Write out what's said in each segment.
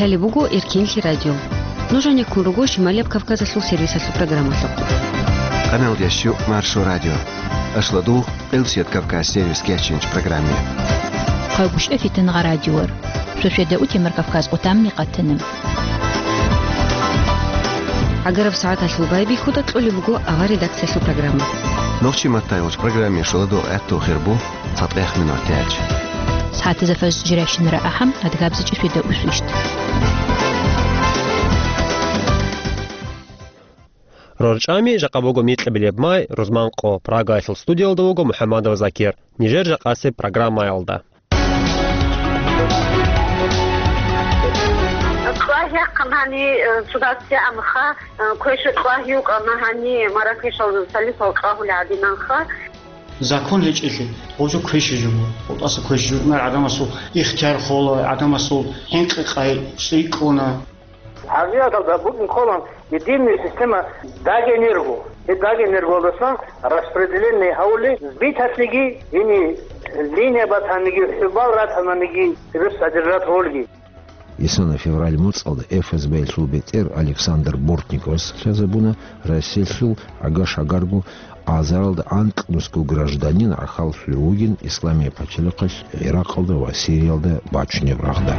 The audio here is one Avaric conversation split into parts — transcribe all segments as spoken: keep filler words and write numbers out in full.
Гьале буго Эркенлъи радио. Нуж гӀенеккун руго Шималияб Кавказалъул сервисалъул программалъухъ. Къаналда щук Маршо радио. Ашлу дугъ Къилсият Кавказ сервис кечинч программе. Хъагушев Фитнагъа радиор. Шошеда утемар Кавказ къутамни къатана. ГӀагараб сагӀаталъул байбихьуда кьолеб буго авар редакциялъул программа. Нохчи маттайолч программе шуладугъ гӀатту хирбу цатӀех минут тяч. СагӀатазда фажр жиращинара ахӀам, адгабзичӀи шуеда усвищт. РорчӀами жакъа буго микьабилеб май, рузман къо, Прагаялъул студиялда вуго МухӀаммадов Закир. Нижер жакъасеб программаялда. Кьвагьяхъан гьани, э, судацияанха, э, квеша кьвагьи вукӀана гьани Маракешал салисал кьвагьули гӀадинанха. Закон гьечӀелъи, гъозу квеши жуго. ГъутӀаса квеши жугьунар гӀадамасул ихтияр хола, гӀадамасул хӀинкъи-къай цӀикӀкӀуна. ХӀакъикъаталда букӀин кколан единая система Дагэнерго. Гьеб Дагэнергоялдасан распределение гьавули биталъиги, гьини линия батаниги, хӀубал ратананиги, гьеб содержать гьолги. Исана февраль моцӀалда ФСБ-ялъул бетӀер Александр Бортниковас лъазабуна Россиялъул гӀага-шагарго азаралда анкьнусго гражданин гӀахьаллъулев вугин Исламияб пачалихъалъ ГӀиракъалда ва Сириялда бачунеб рагъда.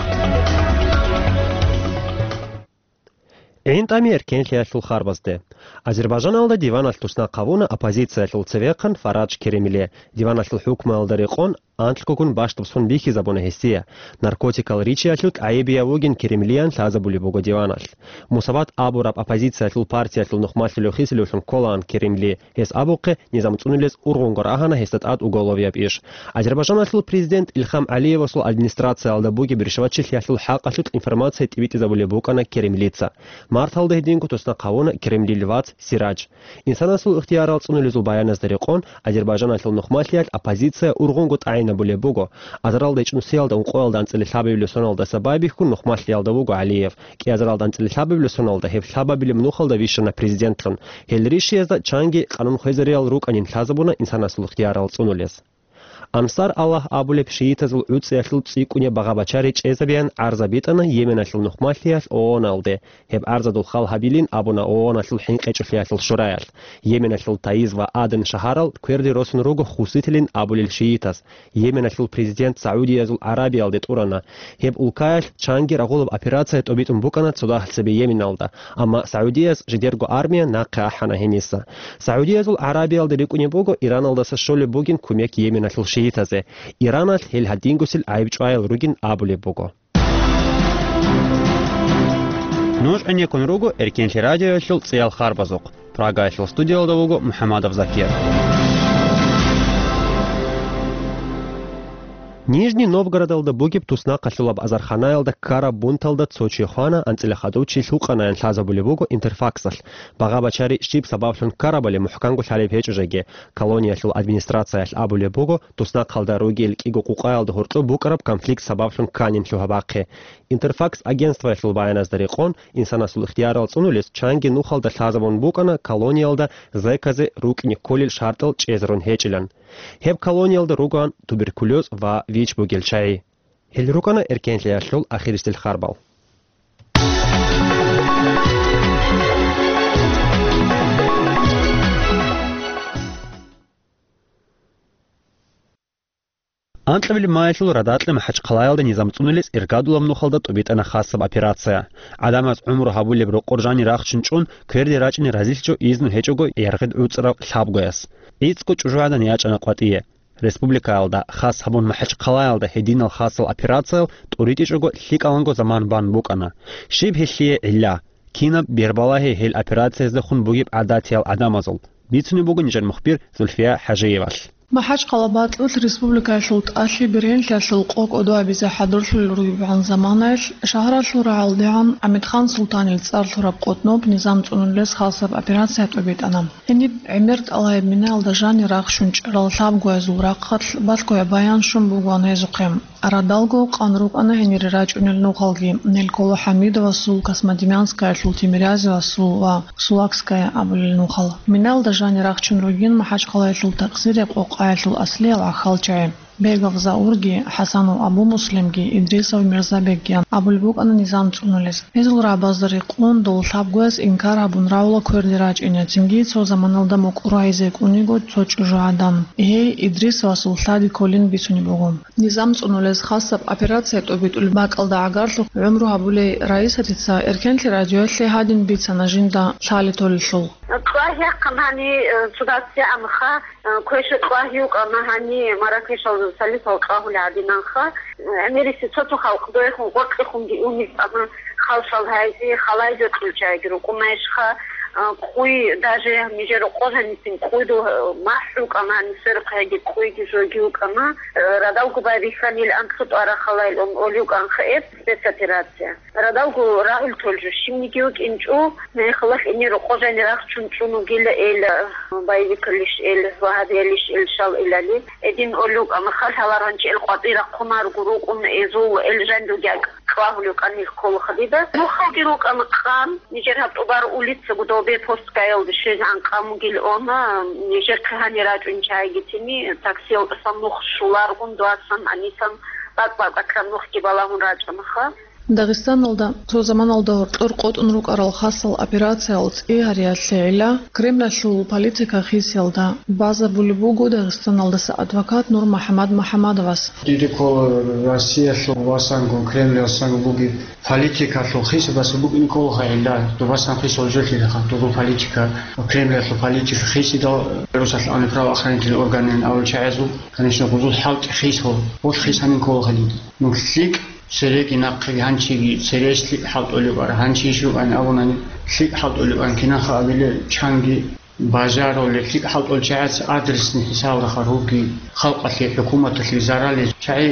ГӀинтӀами эркенлъиялъул харбазде. Азербайджаналда диваналъ туснахъ гьавуна оппозициялъул цевехъан Фарадж Керимли. Диваналъул хӀукмуялда рекъон анлъгогун бащдаб сон бихьизабуна гьесие. Наркотикал ричиялъулъ гӀайибияв вугин Керимлиян лъазабулеб буго диваналъ. Мусават абураб оппозициялъул партиялъул нухмалъулев хисилевлъун кколаан Керимли. Гьес абухъе, низам цӀунулез ургъунго рагьана гьесда тӀад уголовияб иш. Азербайджаналъул президент Илхам ГӀалиевасул администрациялда бугеб ришватчилъиялъул хӀакъалъулъ информация тӀибитӀизабулеб букӀана Керимлица. Марталда гьединго туснахъ гьавуна Керимлил вац Сирадж. Инсанасул ихтиярал цӀунулезул баяназда рекъон, Азербайджаналъул нухмалъиялъ оппозиция ургъунго тӀагӀинабулеб буго. Азаралда ичӀнусиялда ункъоялда анцӀила лъабабилеб соналдаса байбихьун нухмалъиялда вуго ГӀалиев. КӀиазаралда анцӀила лъабабилеб соналда гьеб лъабабилеб нухалда вищана президентлъун. Гьел ришиязда чанги къанун хвезариял рукӀанин лъазабуна инсанасул ихтиярал цӀунулез. Ансар Аллагь абулеб шиитазул гӀуцӀиялъул цӀикӀкӀунеб багъа-бачари чӀезабеян гӀарза битӀана Йеменалъул нухмалъиялъ ООНалде. Гьеб гӀарзадул хал гьабилин абуна ООНалъул хӀинкъичӀолъиялъул шураялъ. Йеменалъул Таиз ва Аден шагьарал кверде росун руго хуситилин абулел шиитаз. Йеменалъул президент Саудиязул ГӀарабиялде тӀурана. Гьеб улкаялъ чанги рагъулаб операция тӀобитӀун букӀана цо дагьлъ цебе Йеменалда, амма Саудияс жидерго армия нахъе ахӀана гьениса. Саудиязул ГӀарабиялда рикӀкӀунеб буго Ираналдаса щолеб бугин кумек Йеменалъул шиитазе. Ираналъ гьел гьадингосил гӀайибчӀваял ругин абулеб буго. Нуж гӀенеккун руго Эркенлъи радиоялъул цӀиял харбазухъ. Прагаялъул студиялда вуго МухӀаммадов Закир. Нижний Новгородалда бугеб туснахъалъулаб азарханаялда ккараб бунталда цо чи хвана, анцӀила хадув чи лъукъанаян лъазабулеб буго Интерфаксалъ. Багъа-бачари щиб сабаблъун ккарабали мухӀканго лъалеб гьечӀо жеги. Колониялъул администрациялъ абулеб буго, туснахъалда ругел кӀиго къукъаялда гьоркьоб букӀараб конфликт сабаблъун кканин лъугьа-бахъе. Интерфакс агентствоялъул баяназда рекъон, инсанасул ихтиярал цӀунулес чанги нухалда лъазабун букӀана колониялда зеказе рукӀине кколел шартӀал чӀезарун гьечӀилан. Гьеб колониялда ругоан туберкулез ва вич бугел чагӀи. Гьел рукӀана эркенлъиялъул ахирисел харбал. Анкьабилеб маялъул радакьа МахӀачхъалаялда низам цӀунулес иргадулаб нухалда тӀубитӀана хасаб операция. ГӀадамаз гӀумру гьабулеб рокъор жани рахчун чӀун, кверде рачӀине разилъичӀо изну гьечӀого яргъид гӀуцӀарав лъабгояс. ГӀицӀго чӀужугӀадан ячӀана къватӀие. Республикаялда, хас гьабун МахӀачхъалаялда гьединал хасал операциял тӀуритӀичӀого лъикӀаланго заман бан букӀана. Щиб гьелъие гӀилла? Кинаб бербалагье гьел операцияздехун бугеб гӀадатиял гӀадамазул? Бицунеб буго нижер мухбир Зульфия ХӀажиевалъ. МахӀачхъала бакьулъ республикаялъул тӀалъи бергьенлъиялъул къо кӀодо абизе хӀадурлъулел ругебгӀан заманаялъ, шагьаралъул рагӀалдегӀан ГӀамидхан Султанил цӀар лъураб къотӀноб низам цӀунулес хасаб операция тӀубитӀана. Гьениб гӀемер тӀалаяб минаялда жани рахчун чӀарал лъабгоязул рахъалъ балъгояб баян щун бугоан гьезухъе. Радалго къан рукӀана гьенире рачӀунел нухалги, Нельколо ХӀамидовасул, Космодемьянскаялъул Тимирязевасул ва Сулакская абулел нухал. Минаялда жани рахчун ругин МахӀачхъалаялъул такъсирияб къокъаялъул аслиял гӀахьалчагӀи. Бегов Заурги, ХӀасанов Абу-Муслимги, Идрисов Мирзабегги абулеб букӀана низам цӀунулез. Гьезул рагӀабазда рекъон дол лъабгояс инкар гьабун равула кверде рачӀине, цинги цо заманалда мукӀур гьайзе кӀуниго цо чӀужугӀадан. Гьей Идрисовасул лъади кколин бицунеб буго. Низам цӀунулез хасаб операция тӀобитӀулеб бакӀалда гӀагарлъухъ гӀумру гьабулей Раисатица Эркенлъи радиоялъе гьадин бицана жинда лъали толелъул. Кьвагьяхъан гьани, э, цо дас гӀамха, э, квеша кьвагьи вукӀана гьани, маракешал салифал кьвагьули гӀадинанха. ГӀемериси цо-цо халкъ доехун гъоркьехунги уникӀана, халшал гьайзи, халайзе кьучӀайги рукӀунайшха, э, къуй, даже нижер къо жанисин къуйду, э, махӀ рукӀана, гьани сверухъ яги къуйги жоги вукӀана, э, радалгу байбихьанил анцӀго тӀвара халайил ун олиукӀанха эб спецоперация. Радалго рагӀул толжу щибниги вукӀинчӀо, мехалъ гьенир къо жани рахчун чӀун вугила эл, боевикалищ эл, вагьабиялищ эл, шал илали. Эдин олукӀа махал гьаларанчи эл къватӀира хъумаргу рукӀун эзул эл жанруги кьвагьулев кӀанил кколаха дида. Нухалги рукӀана къан, нижер гьаб тӀубар улицаго добе посткаялда щвезегӀан къан бугил она, нижер хъигьани рачӀун чайги тини, таксиялдасан нух шуларгун, дуасан, гьанисан бакӀ-бакӀакран нухги балагьун рачӀанаха. Дагъистаналда цо заманалда гьоркьор къотӀун рукӀарал хасал операциялъ цӀи гьариялъе гӀилла, Кремлалъул политика хисиялда базабулеб буго Дагъистаналдаса адвокат НурмухӀамад МухӀамадовас. Диде ккола Россиялъул васанго, Кремлалъул васанго бугеб политикалъул хисабаса букӀине кколаха гӀилла, дубасан хисал жолъилаха, дугу политика, Кремлалъул политика хисидал, Русалъ ани правоохранительный органин авал чагӀазул, конечно, гъузул хӀалтӀи хисал, гъул хисанин кколаха диде. Ну, лъикӀ цереги нахъеги гьанчиги церес лъикӀ хӀалтӀулеб ара, гьанчи иш рукӀани абунани лъикӀ хӀалтӀулеб ан кинаха абиле чанги бажарулел лъикӀ хӀалтӀул чагӀаца адресни хӀисаб рахъа руги халкъалъе, хӀукуматалъе заралил чагӀи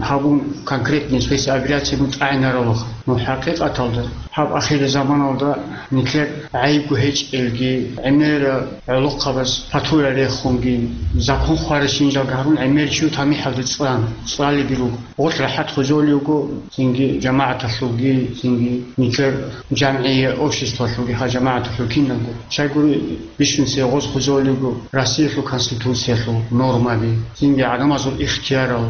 гьабун конкретный спецоперация бутӀайнаралуха. Ну, хӀакъикъаталда гьаб ахирзаманалда нилъер гӀайибго гьечӀелги, гӀемера гӀолохъабаз патура рехунги, закон хваращинжалги гьарун гӀемер чи тамихӀалде цӀан, цӀалиги руго. Гъолъ рахӀат хвезолиуго, цинги жамагӀаталъулги, цинги нилъер жамгӀия обществалъулги, гьа жамагӀаталъул киналго. Щайгури бищунсе гъоз хвезолиуго Россиялъул Конституциялъул нормаби, цинги гӀадамазул ихтиярал,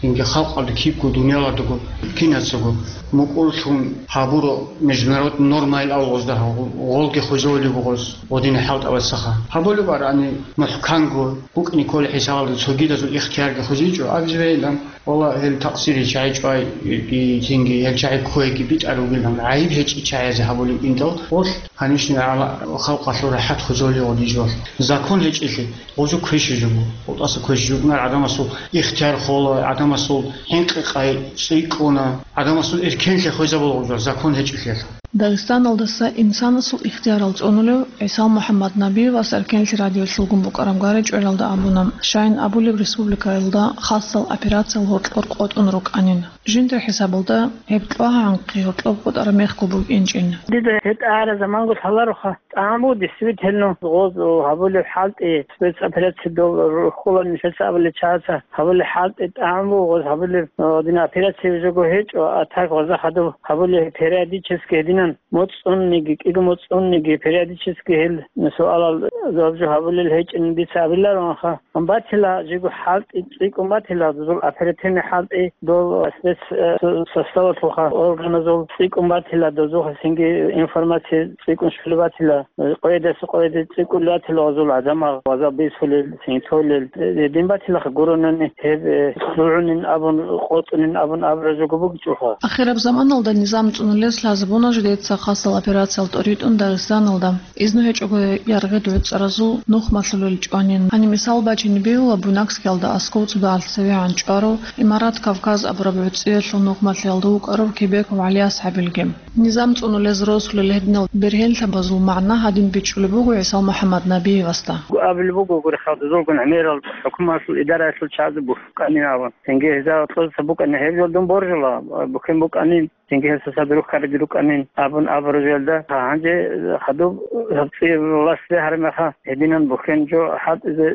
цинги халкъалда кибго дунияладаго кинацаго мукӀурлъун гьабуро международный нормаил авгъозда гьав-, гъолги хвезолиуго гъоз гъодине хӀалтӀабацаха. Гьабулеб арани мухӀканго букӀине кколеб хӀисабалда цогидазул ихтиярги хвезичӀо, абизе бегьилан. Валлагь, гьел такъсири чагӀи чӀвай, и, цинги гьел чагӀи кквейги битӀар ругилан, гӀайиб гьечӀи чагӀазе гьабулеб интӀал, гъолъ, конечно, гьала халкъалъул рахӀат хвезолиуго дижолъ. Закон гьечӀелъи, гъозу квеши жуго, гъутӀаса квеши жугнар гӀадамасул ихтияр хола, гӀадамасул хӀинкъи-къай цӀикӀкӀуна, гӀадамасул эркенлъи хвезабула гъузал, закон гьечӀелъиялъ. Дагъистаналдаса инсанасул ихтиярал цӀунулев ГӀисал МухӀаммад Набиевас Эркенлъи радиолъулгун букӀараб гъаричӀвелалда абуна, щайин абулеб республикаялда хасал операциял гьоркьор къотӀун рукӀанин. Жиндир хӀисабалда гьеб кьвагьанхъи гьоркьоб къотӀараб мехго букӀинчӀин. Дида гьеб тӀагӀара заманго лъалароха, тӀагӀам буго действительно гъоз гьабулеб хӀалтӀи, спецоперация дол рухула нилъеца абулеб чагӀаца гьабулеб хӀалтӀи, тӀагӀам буго гъоз гьабулеб, гьадин операция жого гьечӀо, а так гъоза хадуб гьабулеб периодически гьединан. МоцӀцӀунниги, кӀиго моцӀцӀунниги, периодически гьел суалал жаваб жо гьабулел гьечӀин дица абиларонха. Батила жиго хӀалтӀи цӀикӀкӀун батила, дозул оперативный хӀалтӀи, дол спец, э, составалъулха органазул цӀикӀкӀун батила, дозухъа цинги информация цӀикӀкӀун щулеб батила, къоядаса къояде цӀикӀкӀун батила гъозул гӀадамал, гъоза бисулел, цинги толел, э, дин батилаха гуронани гьеб, э, лъугӀунин абун, къотӀунин абун абура жого бугичӀоха. Ахираб заманалда низам цӀунулез лъазабуна жидеца хасал операциял тӀоритӀун Дагъистаналда. Изну гьечӀого яргъи дугӀцӀаразул нухмалъулел чӀванин. Гьаниб мисал бачине бегьула, Буйнакскиялда аскӀов цӀудагӀалъ цевегӀан чӀварав, Имарат Кавказ абураб гӀуцӀиялъул нухмалъиялда вукӀарав Кебеков ГӀалияс гьабилги. Низам цӀунулез росулел гьединал бергьенлъабазул магӀна гьадин бичӀчӀулеб буго ГӀисал МухӀаммад Набиевасда. Абулеб буго гури, халкъ дозулгун гӀемерал хӀукуматалъул идараялъул чагӀазе бухӀуканин абун. Цинги гьезда кьурса букӀана гьеб жолдун боржула, бухӀен букӀанин. Цинги гьесда садрух карги рукӀанин абун абураб жоялда, гьанже хадуб гьабцӀи властде гьарамаха, гьединан бухьен жо хӀалтӀизе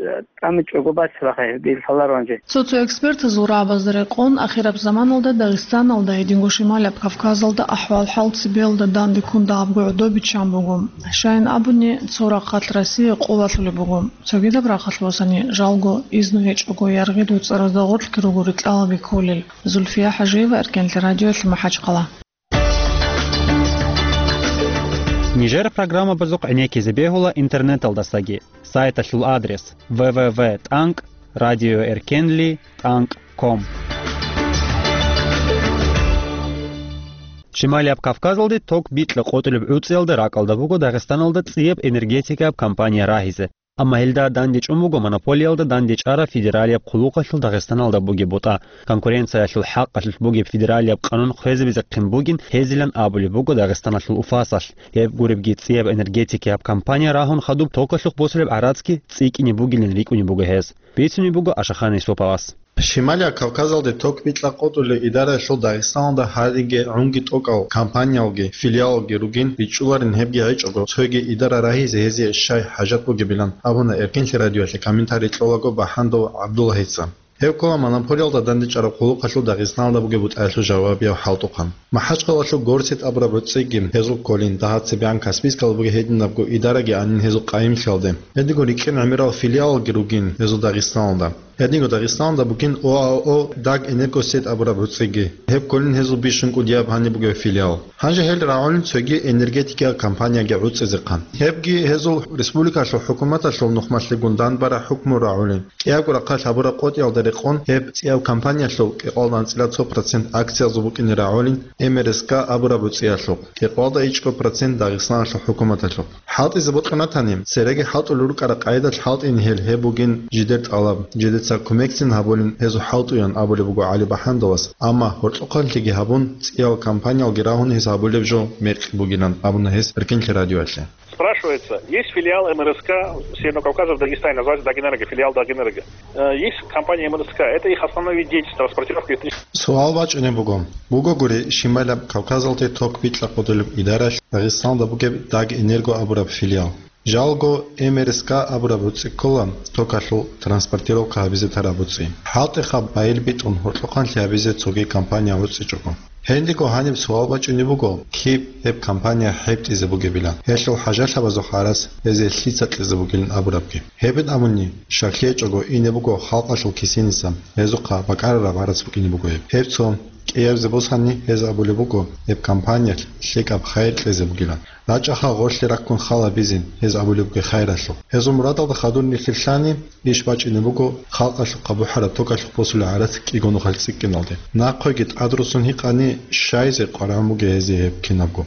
тӀамичӀого бацилаха гьебги лъаларо гьанже. Цо-цо экспертазул рагӀабазда рекъон, ахираб заманалда Дагъистаналда, гьединго Шималаб Кавказалда ахӀвал-хӀал Цебелда данде ккун дагьабго гӀодобиччан буго. Щайин абуни, цо рахъалъ Россия къулалъулеб буго. Цогидаб рахъалъ босани, жалго, изну гьечӀого яргъи дуцӀаразда гъоркьги руго рикьалаби кколел. Зульфия ХӀажиева, Эркенлъи радиоялъ, МахӀачхъала. Нижер программабазухъ гӀенеккизе бегьула интернеталдасаги. Сайталъул адрес: в в в тӀанкӀ радиоэркенли тӀанкӀ ком. Шималияб Кавказалде ток бикьа къотӀулеб гӀуцӀиялда ракӀалда буго Дагъистаналда цӀияб энергетикаяб компания рагьизе. Амма гьелда дандечӀун буго монополиялда дандечӀараб федералияб хъулухъалъул Дагъистаналда бугеб бутӀа. Конкуренциялъул хӀакъалъулъ бугеб федералияб къанун хвезабизехъин бугин гьезилан абулеб буго Дагъистаналъул УФАСалъ. Гьеб гуребги цӀияб энергетикияб компания рагьун хадуб токалъухъ босулеб гӀарацги цӀикӀкӀине бугилин рикӀкӀунеб буго гьез. Бицунеб буго Ашахъан Исуповас. Шималияб Кавказалде ток бикьа къотӀулел идараялъул Дагъистаналда гьариги гӀунги тӀокӀал компаниялги филиалалги ругин бичӀчӀуларин, гьебги гьечӀого цоги идара рагьизе гьезие щай хӀажат бугебилан абуна Эркенлъи радиоялъе комментарий кьолаго БахӀандов ГӀабдуллагьица. Гьев ккола монополиялда дандечӀараб хъулухъалъул Дагъистаналда бугеб бутӀаялъул жавабияв хӀалтӀухъан. МахӀачхъалалъул Горсет абураб гӀуцӀиги гьезул кколин, дагьа цебегӀан Каспийскалда бугеб гьединабго идараги анин гьезул къайимлъиялде. Гьединго рикӀкӀин гӀемерал филиалалги ругин гьезул Дагъистаналда. Гьединго Дагъистаналда бугин ОАО «Дагэнергосет» абураб гӀуцӀиги. Гьеб кколин гьезул бищун кӀудияб гьаниб бугеб филиал. Гьанже гьел рагӀулин цоги энергетикиял компанияги гӀуцӀизехъан. Гьебги гьезул республикалъул хӀукуматалъул нухмалъегун данбараб хӀукму рагӀулин. КӀиябго рахъалъ гьабураб къотӀиялда рекъон гьеб цӀияб компаниялъул кӀикъоялда анцӀила цо процент акциязул букӀине рагӀулин МРСК абураб гӀуцӀиялъухъ, кӀикъоялда ичӀго процент Дагъистаналъул хӀукуматалъухъ. ХӀалтӀизе бокьун ратани, цереги хӀалтӀулел рукӀараб къайдалъ хӀалтӀин гьел, гьеб бугин жидер тӀалаб, жидеца кумекцин гьабулин гьезул хӀалтӀуян абулеб буго ГӀали БахӀандовас, амма гьоркьохъанлъиги гьабун, цӀиял компаниялги рагьун гьез гьабулеб жо мекъи бугилан абуна гьес Эркенлъи радиоялъе. Спрашивается, есть филиал МРСК Северного Кавказа в Дагестане, называется Дагэнерго, филиал Дагэнерго. Э, есть компания МРСК, это их основной вид деятельности, транспортировка электричества. Суал бачӀунеб буго. Бугогури, Шималаб Кавказалде ток бикьа къотӀулеб идаралъ Дагъистаналда бугеб Дагэнерго абураб филиал. Жалго МРСК абураб гӀуцӀи ккола токалъул транспортировка гьабизе тараб гӀуцӀи. ХӀалтӀиха байил битӀун гьоркьохъанлъи гьабизе цоги компания гӀуцӀичӀого. Гьединго гьаниб суал бачӀунеб буго, киб гьеб компания хӀетӀизе бугебилан, гьелъул хӀажалъабазухъ гӀарац гьезие лъица кьезе бугилан абурабги. Гьебин абуни, щаклъи гьечӀого ине буго халкъалъул кисениса, гьезухъа бакӀарараб гӀарац букӀине буго гьеб. Гьеб цо кӀиябзе босани, гьез абулеб буго, гьеб компаниялъ лъикӀаб хайир кьезе бугилан. РачӀаха гъорлъе раккун хал гьабизе, гьез абулеб бугеб хайиралъухъ. Гьезул мурадалда хадур нилъер лъани, иш бачӀине буго халкъалъухъа бухӀараб токалъухъ босулеб гӀарац кӀиго нухалъ цӀикӀкӀиналде. Нахъеги тӀадрусун гьикъани, щайзе къваригӀун бугеб гьезие гьеб кинабго.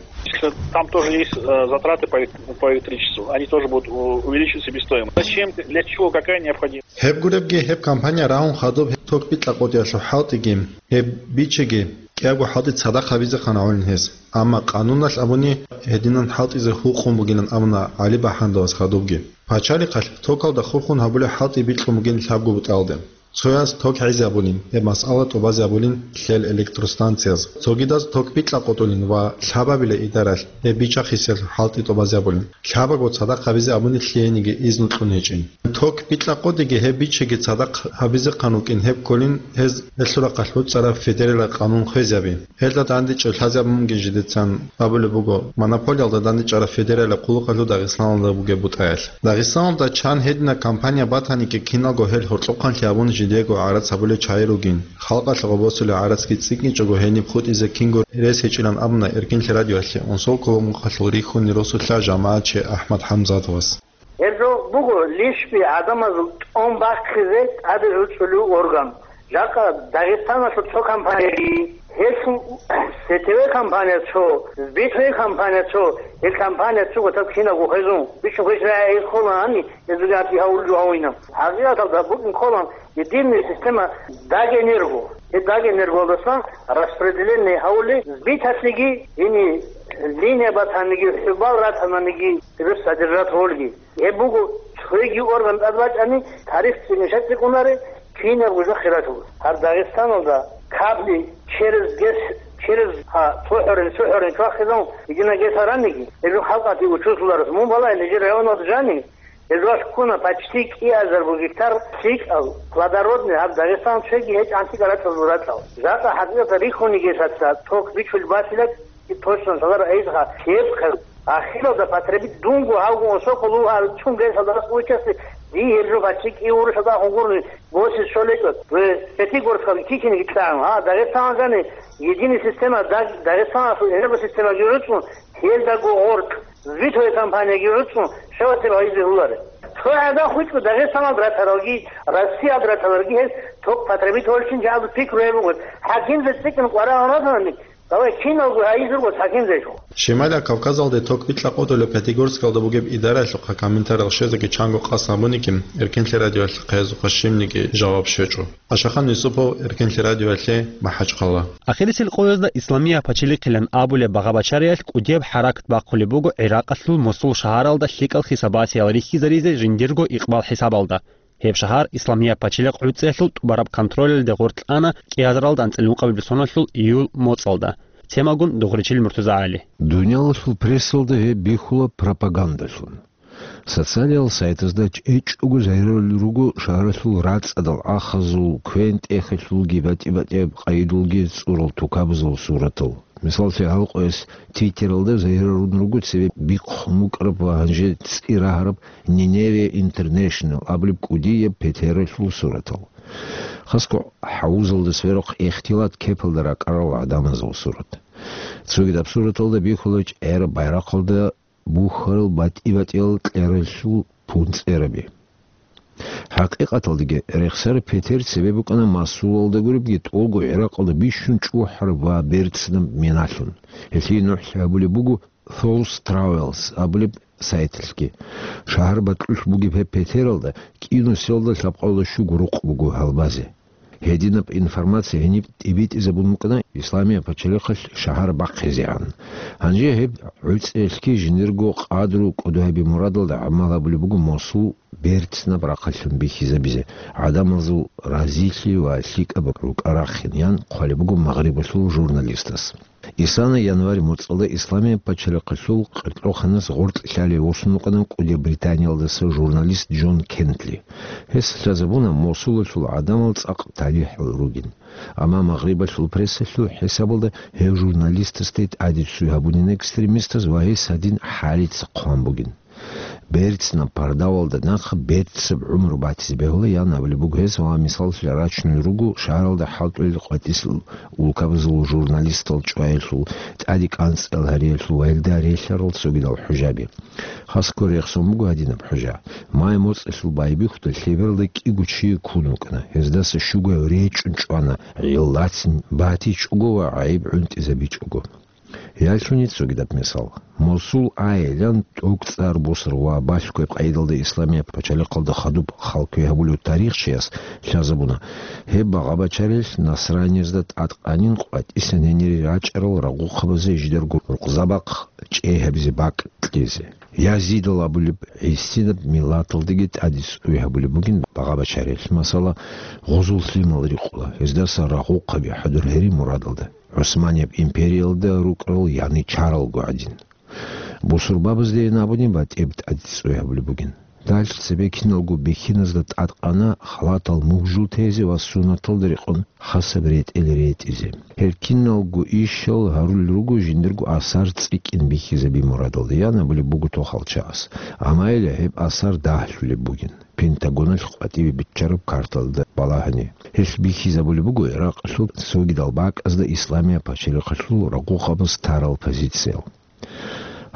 Там тоже есть, э, затраты по, по электричеству. Они тоже будут у-, увеличивать себестоимость. Зачем, для чего, какая необходимость? Гьеб гуребги, гьеб компания рагьун хадуб гьеб ток бикьа къотӀиялъухъ хӀалтӀиги, гьеб бичеги, кӀиябго хӀалтӀи цадахъ гьабизехъан гӀолин гьес. Амма къануналъ абуни, гьединан хӀалтӀизе гьукъун бугилан абуна ГӀали БахӀандовас хадубги. Пачалихъалъ токалда хурхун гьабулеб хӀалтӀи бикьун бугин лъабго бутӀалде. Цояз ток гӀезабулин, гьеб масъала тӀубазабулин лъел электростанцияз. Цогидаз ток бикьа къотӀулин ва лъабабила идаралъ гьеб бичахъисел хӀалтӀи тӀубазабулин. Лъабаго цадахъ гьабизе абуни лъиениги изну кьун гьечӀин. Ток бикьа къотӀиги гьеб бичеги цадахъ гьабизехъан вукӀин гьеб кколин гьез гьелъул рахъалъ буцӀцӀараб федералияб къанун хвезаби. Гьелда дандечӀев лъазабун бугин жидецан абулеб буго, монополиялда дандечӀараб федералияб хъулухъалъул Дагъистаналда бугеб бутӀаялъ. Дагъистаналда чан гьединаб компания батаниги киналго гьел гьоркьохъанлъи абун жидего гӀарац гьабулел чагӀи ругин. Халкъалъ гъобосулеб гӀарацги цӀикӀкӀинчӀого гьениб хутӀизе кинго рес гьечӀилан абуна Эркенлъи радиоялъе Унсолкулумухъалъул рихьунин росулъа жамагӀатчи АхӀмад ХӀамзатовас. Гьеб жо буго лишби гӀадамазул тӀун бахъизе тӀаде гӀуцӀулев орган. Жакъа Дагъистаналъул цо компанияги, гьелъул сетеве компания цо, сбитове компания цо, гьел компания цо гъотӀа кинабго хвезун, бичун хвезарай гьел холани, гьезулги гьаб гьавулел жо гьавинаб. ХӀакъикъаталда букӀин кколан единая система Дагэнерго. Гьеб Дагэнергоялдасан распределение гьавулел сбиталъеги, гьениб линия батаниги, хӀубал ратаниги, гьеб содержать гьолги. Гьеб буго цоги орган тӀад бачӀани, тариф цӀикӀкӀунаре, кинабго жо хиралъур. Гьаб Дагъистаналда кабли через ГЭС, через, гьа, цохӀорин, цохӀорин чвахизавун, единая ГЭС гьараниги, гьеб жо халкъалъе учузлъуларас. Мун балагье, нижер районалда жани, гьезулъ ккуна почти кӀиазарго гектар лъикӀал, плодородный, гьаб Дагъистан цоги гьечӀ гӀантикӀа ракьазул ракьал. Жакъа хӀакъикъаталда рихьуни гьелъаца ток бичулеб батилан, Точно, шалара эйзга кепка. Ахиралда потребить дунго гьавго осоколу гьал чун гесалда случасе ди гьеб жо бачи киур шалда хугурни госис шолечо. Пятигорского кичине гитан. А, Дагестан гани единая система, Даг-, Дагестанасул энергосистема гируцун, гьелдаго гъорт, витовая компания гируцун, шаватир гьайзе гьуларе. Цо гӀадан хутӀго Дагестанал дратаралги, Россиял дратаралги гьез ток потребить гьолчин жагьлу пикру гьеб бугот. ХӀакимзе цӀикӀкӀин къварагӀун ратани, Давай киналго гьайизурго цадин речӀо. Щемалияб Кавказалде ток бикьа къотӀулеб Пятигорскалда бугеб идараялъухъа комментариял щвезеги чанго къасд гьабуниги, Эркенлъи радиоялъухъе гьезухъа щибниги жаваб щвечӀо. Ашахан Юсупов, Эркенлъи радиоялъе, МахӀачхъала. Ахирисел къоязда Исламияб пачалихъилан абулеб багъа-бачариялъ кӀудияб хӀаракат бахъулеб буго ГӀиракъалъул Мосул шагьаралда лъикӀал хисабасиял рихьизаризе жиндирго икъбал хӀисабалда. Гьеб шагьар Исламияб пачалихъ гӀуцӀиялъул тӀубараб контролалде гъоркь ана кӀиазаралда анцӀила ункъабилеб соналъул июль моцӀалда. Темагун Дугъричил МуртазагӀали. Дуниялалъул прессалда гьеб бихьула пропагандалъун. Социалиял сайтазда чӀечӀого загьиралел руго шагьаралъул рацӀцӀадал ахазул, квен-тӀехалъулги, батӀи-батӀияб къайдулги цӀурал тукабазул суратал. Мисаллъи, гьалкъояс Твиттералда загьирарун руго цебе бихъун букӀараб ва гьанже цӀи рагьараб Ниневия Интернешнл абулеб кӀудияб петералъул суратал. Хасго хӀавузалда сверухъ ихтилат кепалда ракӀарал гӀадамазул сурат. Цогидаб сураталда бихьула чӀераб байрахъалда бухьарал батӀи-батӀиял кьералъул пунцӀераби. ХӀакъикъаталдаги, рехсараб петер цебе букӀана Масулалда гуребги тӀолго ГӀиракъалда бищун чӀухӀараб ва берцинаб миналъун. Гьелъие нухӀлъи гьабулеб буго Thought Travels абулеб сайталъги. Шагьар бакьулъ бугеб гьеб петералда кӀинусиялда лъабкъоялда щуго рукъ буго гьалбазе. Гьединаб информация гьениб тӀибитӀизабун букӀана Исламияб пачалихъалъ шагьар бахъизегӀан. Гьанже гьеб гӀуцӀиялъги жиндирго къадру кӀодо гьаби мурадалда гӀамал гьабулеб буго Мосул берцинаб рахъалъун бихьизабизе, гӀадамазул разилъи ва лъикӀаб рукӀа рахъин, ян хъвалеб буго Магърибалъул журналистас. Исана январь моцӀалда Исламияб пачалихъалъул къеркьоханас гъоркь лъалев восун вукӀана кӀудияб Британиялдаса журналист Джон Кентли. Гьес лъазабуна Мосулалъул гӀадамал цӀакъ талихӀал ругин. Амма Магърибалъул прессалъул хӀисабалда гьев журналистасде тӀаде цӀуй гьабунин экстремистаз ва гьес гьадин хӀалица хъван бугин. Берцинаб пардавалда нахъа берцинаб гӀумру батизе бегьула, ян абулеб буго гьес, ва мисаллъи рачунел руго шагьаралда хӀалтӀулел къватӀисел улкабазул журналистал чӀваялъул, тӀаде кӀанцӀал гьариялъул ва гьелда релълъарал цогидал хӀужаби. Хасго рехсон буго гьадинаб хӀужа. Май моцӀалъул байбихьуда лъебералда кӀиго чи ккун вукӀана, гьездаса щуго речӀчӀун чӀвана, гӀиллацин батичӀого ва гӀайиб гӀунтӀизабичӀого. Ялъуни цогидаб мисал. Мосул айилан тӀокӀцӀар босар ва балъгояб къайдалда Исламияб пачалихъалда хадуб халкуе гьабулев тарихчияс лъазабуна, гьеб багъа-бачарилъ насраниязда тӀадкъанин къватӀисан гьенире рачӀарал рагъухъабазе жидарго рукъзабахъ чӀей гьабизе бакӀ кьезе. Язидал абулеб гӀисинаб миллаталдаги тӀаде цӀуй гьабулеб бугин багъа-бачарилъ, масала, гъузул лъимал рикъула, гьездаса рагъухъаби хӀадур гьери мурадалда. ГӀусманияб империялда рукӀарал яничаралго гӀадин. Бусурбабаздейин абуни батӀияб тӀаде цӀуй гьабулеб бугин. Дальчи цебе киналго бихьиназда тӀадкъана халатал мугжул тезе ва суннаталда рекъон хасаб ретӀел ретӀизе. Гьел киналго ишал гьарулел руго жиндирго асар цӀикӀкӀин бихьизаби мурадалда, ян абулеб буго тохалчагӀас. Амма гьеле гьеб асар дагьлъулеб бугин. Пентагоналъ къватӀибе биччараб карталда балагьани. Гьелъ бихьизабулеб буго Иракъалъул цогидал бакӀазда Исламияб пачалихъалъул рагъухъабаз тарал позициял.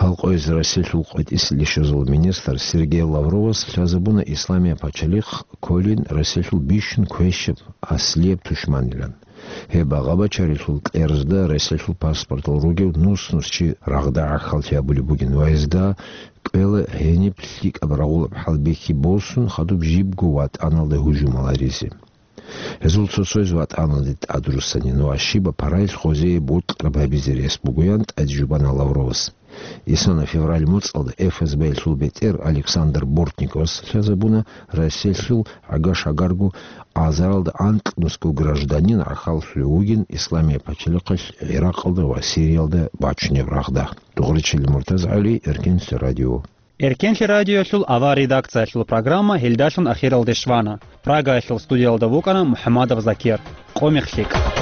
Гьалкъояз Россиялъул къватӀисел ишазул министр Сергей Лавровас лъазабуна Исламияб пачалихъ кколин Россиялъул бищун квешаб аслияб тушманилан. Гьеб багъа-бачарилъул кьерзда Россиялъул паспортал ругев нус-нус чи рагъда гӀахьаллъи гьабулеб бугин ва гьезда кӀвела гьениб лъикӀаб рагъулаб хӀалбихьи босун, хадуб жибго ватӀаналда гьужумал гьаризе. Гьезул цо-цояз ватӀаналде тӀадруссанин ва щибаб параялъ гъозие бокьараб гьабизе рес бугоян тӀаде жубана Лавровас. Исана февраль моцӀалда ФСБ-ялъул бетӀер Александр Бортниковас лъазабуна Россиялъул гӀага-шагарго азаралда анкьнусго гражданин гӀахьаллъулев вугин Исламияб пачалихъалъ ГӀиракъалда ва Сириялда бачунеб рагъда. Дугъричил МуртазагӀали, Эркенлъи радио. Эркенлъи радиоялъул авар редакциялъул программа гьелдалъун ахиралде щвана. Прагаялъул студиялда вукӀана МухӀамадов Закир. Къо мех лъикӀ.